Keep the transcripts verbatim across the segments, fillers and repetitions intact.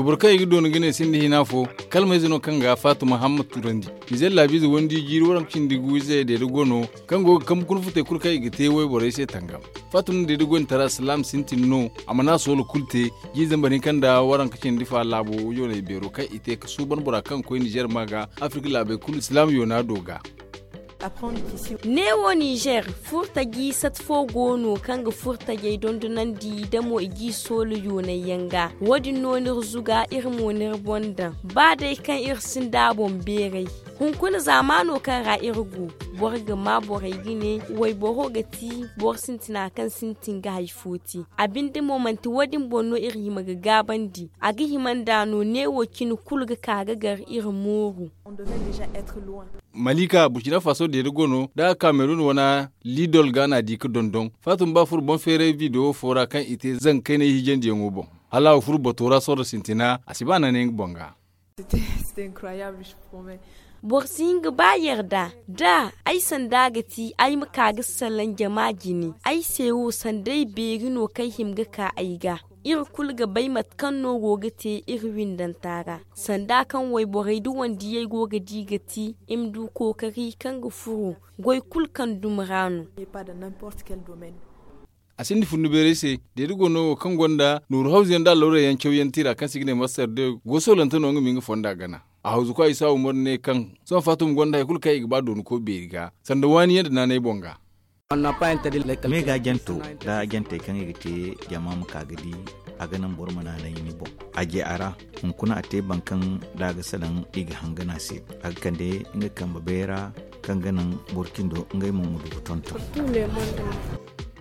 Boro kaŋ i ga doona ga ne sinda hina fo, kalmayze no kaŋ ga faatuma hamma turandi. Nizer laabiize wandi jiiri waranka cindi gu ize deeda go no, kaŋ go ga kambe kuna futey kulu kaŋ i ga te wayborey se tangam. Faatuma deeda goyne tara silaam sintin no. A mana soolo kulu te. Jiiri zambar hinka nda waranka cindi fa laabo yooney beero kaŋ i te ga suuban bora kaŋ ga koy nizer ma ga, afirka laabey kulu silaam yoona do ga. Neewo nizer, furtaji sat fo go no kaŋ ga furtajey dondonandi da mo i g'i soolo yoonay yaŋ ga. Wo- din no n'iri zuga, iri mo n'iri boŋ daŋ, ba day kaŋ iri sinda a boŋ beeray. Hunkuna zaamaano kaŋ ra iri go, boro ga maa borey ga ne, wayboro ga ti boro sintina kaŋ sintin ga hari fo te. A binde mo manti wo- din boŋ no iri hima ga gaabandi. A ga hima nd'a no neewo cine kulu ga ka ga gar iri mooru. Malika burkina faso deeda go no da a ga kaamerun wane lidol ga n'a di ga dondon. Faatuma ba furo boŋ feeray bidewo fo ra kaŋ i te zanga kaynay hijandiyaŋo boŋ, hala a ga furo bato ra sorro sintina a si ba naanay nga boŋ ga. Boro si hin ga ba yarda da ay sanda ga ti ay ma ka ga salaŋ jama jine. Ay se wo sanday beeri no kaŋ ay hima ga ka ay ga. Iri kulu ga bay mate kaŋ no go ga te iri windanta ra. Sanda kaŋ wayborey da wandiyey go ga di ga ti i ma du kookari kaŋ ga furo goy kulu kaŋ dumi ra no. A sinda fundu beeray se. Deeda go no wo kaŋ gonda nooru hawzu yaŋ nda allawray yaŋ caw yaŋ tira kaŋ se i ga ne master de go soolante no nga ma nga fonda gana. A hawzu kwa isa umar ne kaŋ sohõ faatuma gonda hari kulu kaŋ i ga ba doonako beeri ga sanda waani yaŋ nda naanay boŋ ga. Me ga janto da jantey kaŋ i ga te jama ma ka ga di, a ga naŋ boro ma naanay ni boŋ. A je a ra, hunkuna a te baŋ kaŋ da a ga salaŋ i ga hangan a se. A ga kande nga kambe beera kaŋ ga naŋ boro cindo ngey mo ma du ga tonton.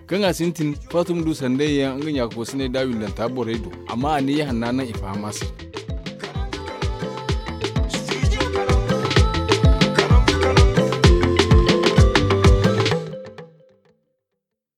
Kaŋ a sintin, faatuma du sanday yaŋ nga ɲaakakoosiney da windanta borey do. Amma a ne ya hanna naŋ i faham a se.